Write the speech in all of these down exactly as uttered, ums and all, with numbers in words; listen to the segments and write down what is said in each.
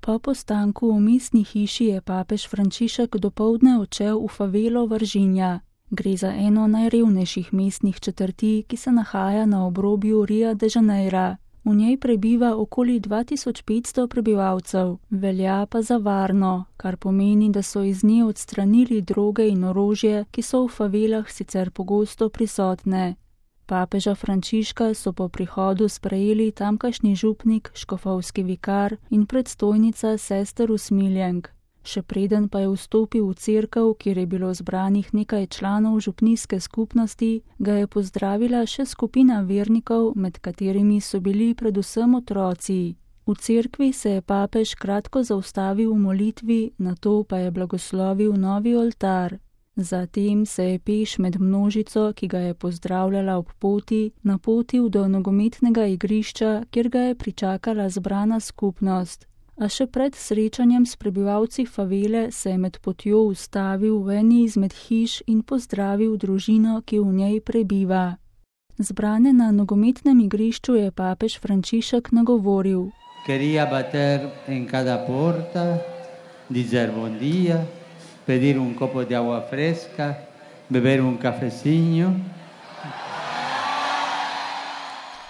Po postanku v mestni hiši je papež Frančišek dopoldne odšel v favelo Varginha. Gre za eno najrevnejših mestnih četrti, ki se nahaja na obrobju Ria de Janeira. V njej prebiva okoli dva tisoč petsto prebivalcev, velja pa za varno, kar pomeni, da so iz nje odstranili droge in orožje, ki so v favelah sicer pogosto prisotne. Papeža Frančiška so po prihodu sprejeli tamkajšnji župnik, škofovski vikar in predstojnica sester usmiljenk. Še preden pa je vstopil v cerkev, kjer je bilo zbranih nekaj članov župnijske skupnosti, ga je pozdravila še skupina vernikov, med katerimi so bili predvsem otroci. V cerkvi se je papež kratko zaustavil v molitvi, nato pa je blagoslovil novi oltar. Zatem se je peš med množico, ki ga je pozdravljala ob poti, napotil do nogometnega igrišča, kjer ga je pričakala zbrana skupnost. A še pred srečanjem s prebivalci favele se je med potjo ustavil v eni izmed hiš in pozdravil družino, ki v njej prebiva. Zbrane na nogometnem igrišču je papež Frančišek nagovoril. Quería bater en cada porta, dizer bom dia, pedir un copo de agua fresca, beber un cafecinho.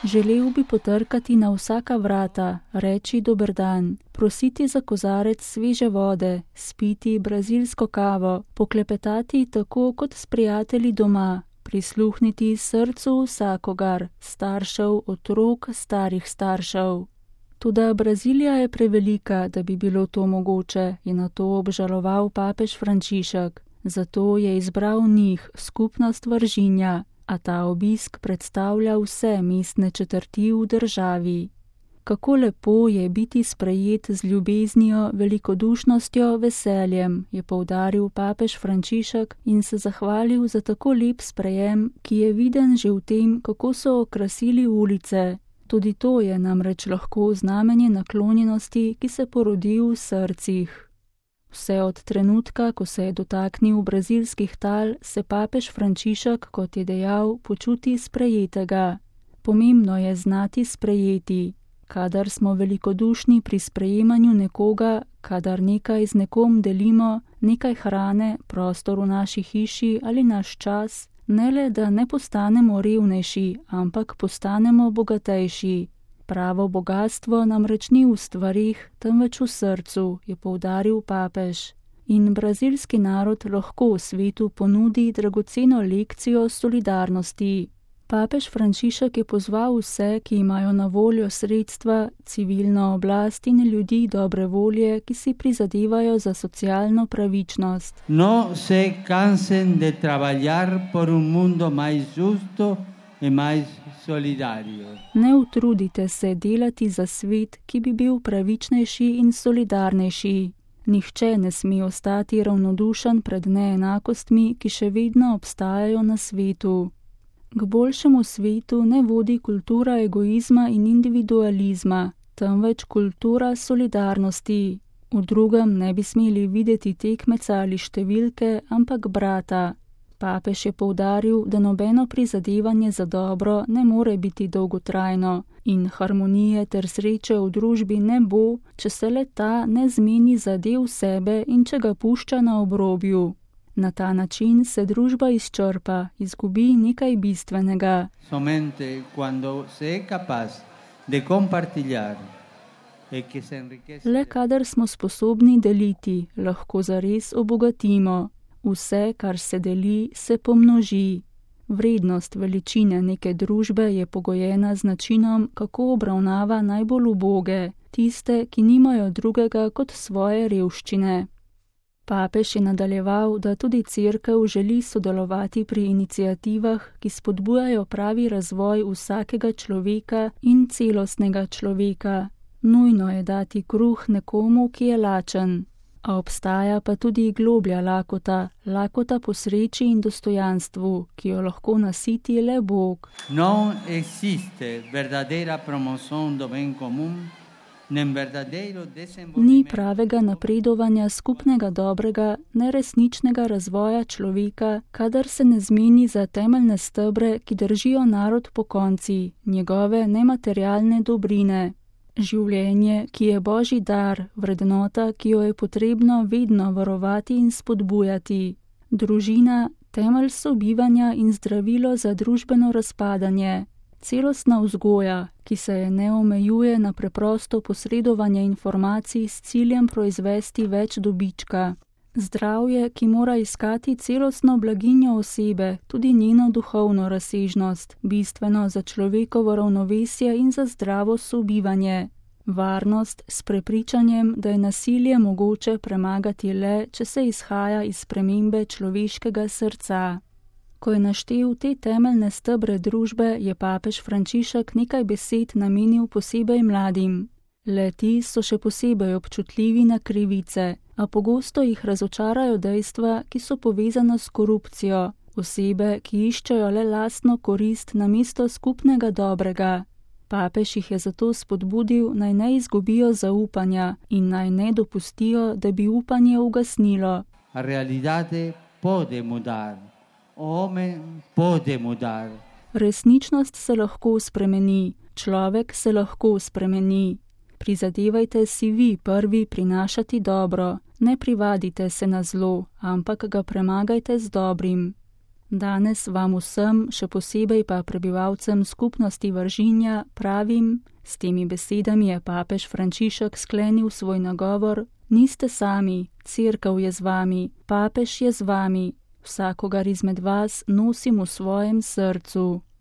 Želel bi potrkati na vsaka vrata, reči dober dan, prositi za kozarec sveže vode, spiti brazilsko kavo, poklepetati tako kot s prijatelji doma, prisluhniti srcu vsakogar, staršev, otrok, starih staršev. Toda Brazilija je prevelika, da bi bilo to mogoče, je na to obžaloval papež Frančišek. Zato je izbral njih, skupnost Varginha, a ta obisk predstavlja vse mestne četrti v državi. Kako lepo je biti sprejet z ljubeznijo, velikodušnostjo, veseljem, je poudaril papež Frančišek in se zahvalil za tako lep sprejem, ki je viden že v tem, kako so okrasili ulice. Tudi to je namreč lahko znamenje naklonjenosti, ki se porodi v srcih. Vse od trenutka, ko se je dotaknil brazilskih tal, se papež Frančišek, kot je dejal, počuti sprejetega. Pomembno je znati sprejeti. Kadar smo velikodušni pri sprejemanju nekoga, kadar nekaj z nekom delimo, nekaj hrane, prostor v naši hiši ali naš čas, ne le, da ne postanemo revnejši, ampak postanemo bogatejši. Pravo bogatstvo namreč ni v stvarih, temveč v srcu, je poudaril papež. In brazilski narod lahko svetu ponudi dragoceno lekcijo solidarnosti. Papež Frančišek je pozval vse, ki imajo na voljo sredstva, civilno oblast in ljudi dobre volje, ki si prizadevajo za socialno pravičnost. No se cansen de trabalhar por un mundo mais justo e mais solidario. Ne utrudite se delati za svet, ki bi bil pravičnejši in solidarnejši. Nihče ne sme ostati ravnodušen pred neenakostmi, ki še vedno obstajajo na svetu. K boljšemu svetu ne vodi kultura egoizma in individualizma, temveč kultura solidarnosti. V drugem ne bi smeli videti tekmeca ali številke, ampak brata. Papež je poudaril, da nobeno prizadevanje za dobro ne more biti dolgotrajno in harmonije ter sreče v družbi ne bo, če se le ta ne zmeni za del sebe in če ga pušča na obrobju. Na ta način se družba izčrpa, izgubi nekaj bistvenega. Somente cuando se es capaz de compartillar, e que se enriquece. Le kadar smo sposobni deliti, lahko zares obogatimo. Vse, kar se deli, se pomnoži. Vrednost veličine neke družbe je pogojena z načinom, kako obravnava najbolj uboge, tiste, ki nimajo drugega kot svoje revščine. Papež je nadaljeval, da tudi cerkev želi sodelovati pri iniciativah, ki spodbujajo pravi razvoj vsakega človeka in celostnega človeka. Nujno je dati kruh nekomu, ki je lačen. A obstaja pa tudi globlja lakota, lakota po sreči in dostojanstvu, ki jo lahko nasiti le Bog. Non existe verdadera promoción do bem común, nem verdadeiro desenvolvimento. Ni pravega napredovanja skupnega dobrega, neresničnega razvoja človeka, kadar se ne zmeni za temeljne stebre, ki držijo narod pokonci, njegove nematerialne dobrine. Življenje, ki je Božji dar, vrednota, ki jo je potrebno vedno varovati in spodbujati. Družina, temelj sobivanja in zdravilo za družbeno razpadanje. Celostna vzgoja, ki se je ne omejuje na preprosto posredovanje informacij s ciljem proizvesti več dobička. Zdravje, ki mora iskati celostno blaginjo osebe, tudi njeno duhovno razsežnost, bistveno za človekovo ravnovesje in za zdravo sobivanje. Varnost s prepričanjem, da je nasilje mogoče premagati le, če se izhaja iz spremembe človeškega srca. Ko je naštel te temeljne stebre družbe, je papež Frančišek nekaj besed namenil posebej mladim. Le-ti so še posebej občutljivi na krivice, a pogosto jih razočarajo dejstva, ki so povezana s korupcijo, osebe, ki iščejo le lastno korist namesto skupnega dobrega. Papež jih je zato spodbudil, naj ne izgubijo zaupanja in naj ne dopustijo, da bi upanje ugasnilo. Resničnost se lahko spremeni, človek se lahko spremeni. Prizadevajte si vi prvi prinašati dobro, ne privadite se na zlo, ampak ga premagajte z dobrim. Danes vam vsem, še posebej pa prebivalcem skupnosti Vržinja, pravim, s temi besedami je papež Frančišek sklenil svoj nagovor: niste sami, cerkev je z vami, papež je z vami, vsakogar izmed vas nosim v svojem srcu.